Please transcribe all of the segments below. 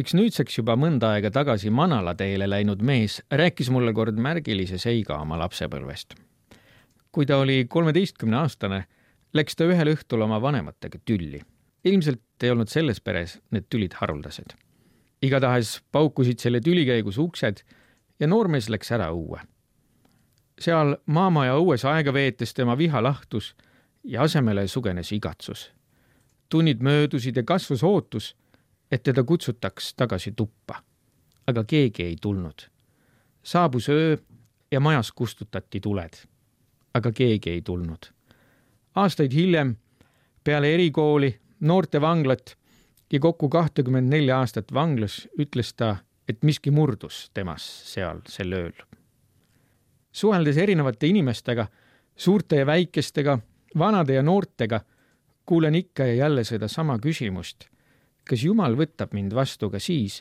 Üks nüüdseks juba mõnda aega tagasi Manalateele läinud mees rääkis mulle kord märgilise seiga oma lapsepõlvest. Kui ta oli 13-aastane, läks ta ühel õhtul oma vanematega tülli. Ilmselt ei olnud selles peres need tülid haruldased. Igatahes paukusid selle tüli käigus uksed ja noormees läks ära õue. Seal maamaja õues aega veetes tema viha lahtus ja asemele sugenes igatsus. Tunnid möödusid ja kasvas ootus, et teda kutsutaks tagasi tuppa. Aga keegi ei tulnud. Saabus öö ja majas kustutati tuled. Aga keegi ei tulnud. Aastaid hiljem, peale erikooli, noorte vanglat ja kokku 24 aastat vanglas, ütles ta, et miski murdus temas seal sel ööl. Suheldes erinevate inimestega, suurte ja väikestega, vanade ja noortega, kuulen ikka ja jälle seda sama küsimust. Kas Jumal võtab mind vastu ka siis,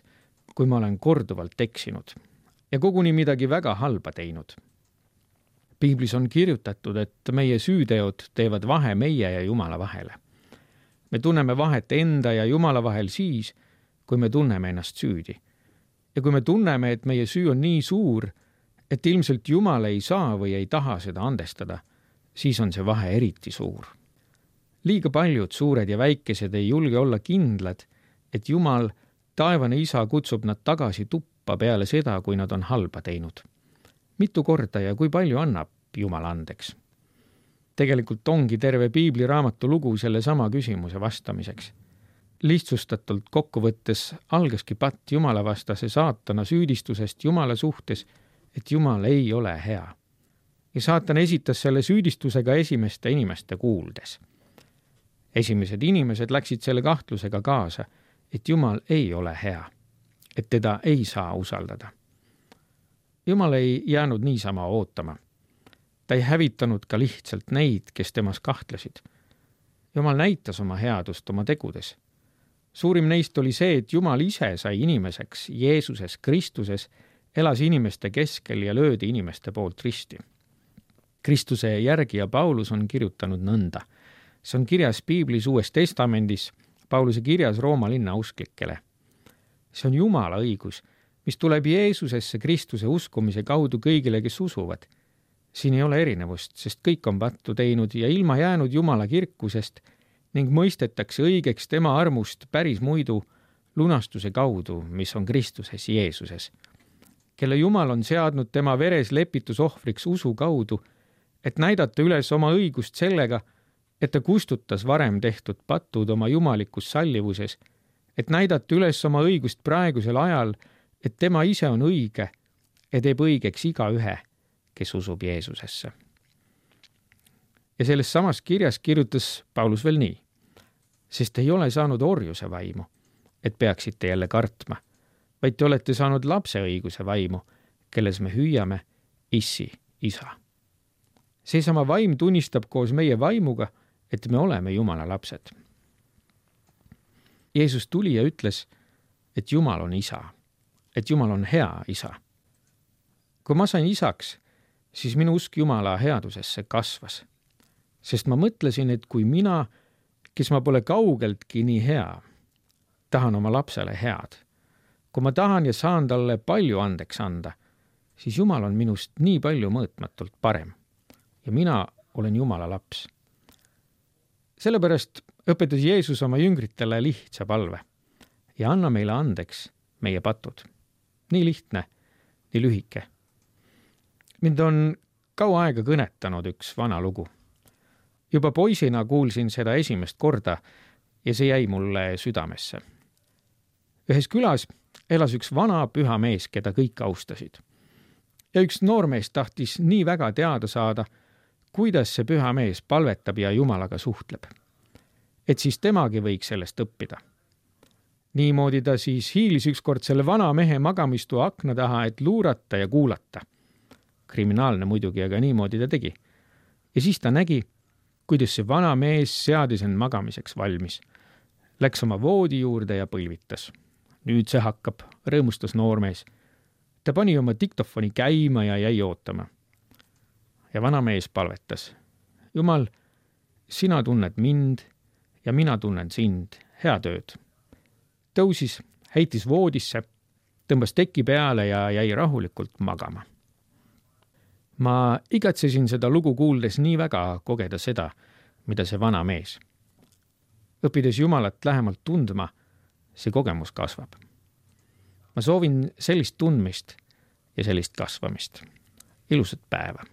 kui ma olen korduvalt eksinud ja koguni midagi väga halba teinud? Piiblis on kirjutatud, et meie süüteod teevad vahe meie ja Jumala vahele. Me tunneme vahet enda ja Jumala vahel siis, kui me tunneme ennast süüdi. Ja kui me tunneme, et meie süü on nii suur, et ilmselt Jumal ei saa või ei taha seda andestada, siis on see vahe eriti suur. Liiga paljud suured ja väikesed ei julge olla kindlad, et Jumal, taevane isa, kutsub nad tagasi tuppa peale seda, kui nad on halba teinud. Mitu korda ja kui palju annab Jumal andeks? Tegelikult ongi terve Piibli raamatu lugu selle sama küsimuse vastamiseks. Lihtsustatult kokkuvõttes algaski patt Jumala vastase saatana süüdistusest Jumala suhtes, et Jumal ei ole hea. Ja saatan esitas selle süüdistusega esimeste inimeste kuuldes. Esimesed inimesed läksid selle kahtlusega kaasa, et Jumal ei ole hea, et teda ei saa usaldada. Jumal ei jäänud niisama ootama. Ta ei hävitanud ka lihtsalt neid, kes temas kahtlesid. Jumal näitas oma headust oma tegudes. Suurim neist oli see, et Jumal ise sai inimeseks, Jeesuses, Kristuses, elas inimeste keskel ja löödi inimeste poolt risti. Kristuse järgija Paulus on kirjutanud nõnda. See on kirjas Piiblis Uues Testamendis, Pauluse kirjas Rooma linna usklikele. See on Jumala õigus, mis tuleb Jeesusesse Kristuse uskumise kaudu kõigile, kes usuvad. Siin ei ole erinevust, sest kõik on pattu teinud ja ilma jäänud Jumala kirkusest ning mõistetakse õigeks tema armust päris muidu lunastuse kaudu, mis on Kristuses Jeesuses, kelle Jumal on seadnud tema veres lepitusohvriks usu kaudu, et näidata üles oma õigust sellega, et ta kustutas varem tehtud patud oma jumalikus sallivuses, et näidata üles oma õigust praegusel ajal, et tema ise on õige ja teeb õigeks igaühe, kes usub Jeesusesse. Ja selles samas kirjas kirjutas Paulus veel nii, sest ei ole saanud orjuse vaimu, et peaksite jälle kartma, vaid te olete saanud lapse õiguse vaimu, kelles me hüüame issi, isa. Seesama vaim tunnistab koos meie vaimuga, et me oleme Jumala lapsed. Jeesus tuli ja ütles, et Jumal on isa, et Jumal on hea isa. Kui ma sain isaks, siis minu usk Jumala headusesse kasvas, sest ma mõtlesin, et kui mina, kes ma pole kaugeltki nii hea, tahan oma lapsele head, kui ma tahan ja saan talle palju andeks anda, siis Jumal on minust nii palju mõõtmatult parem ja mina olen Jumala laps. Sellepärast õpetas Jeesus oma jüngritele lihtsa palve ja anna meile andeks meie patud. Nii lihtne, nii lühike. Mind on kaua aega kõnetanud üks vana lugu. Juba poisina kuulsin seda esimest korda ja see jäi mulle südamesse. Ühes külas elas üks vana püha mees, keda kõik austasid. Ja üks noormees tahtis nii väga teada saada, kuidas see püha mees palvetab ja Jumalaga suhtleb. Et siis temagi võiks sellest õppida. Niimoodi ta siis hiilis ükskord selle vana mehe magamistu akna taha, et luurata ja kuulata. Kriminaalne muidugi, aga niimoodi ta tegi. Ja siis ta nägi, kuidas see vana mees seadis end magamiseks valmis. Läks oma voodi juurde ja põlvitas. Nüüd see hakkab, rõõmustas noormees. Ta pani oma diktofoni käima ja jäi ootama. Ja vana mees palvetas. Jumal, sina tunned mind ja mina tunnen sind. Hea tööd. Tõusis, heitis voodisse, tõmbas teki peale ja jäi rahulikult magama. Ma igatsesin seda lugu kuuldes nii väga kogeda seda, mida see vana mees. Õppides Jumalat lähemalt tundma, see kogemus kasvab. Ma soovin sellist tundmist ja sellist kasvamist. Ilusat päeva!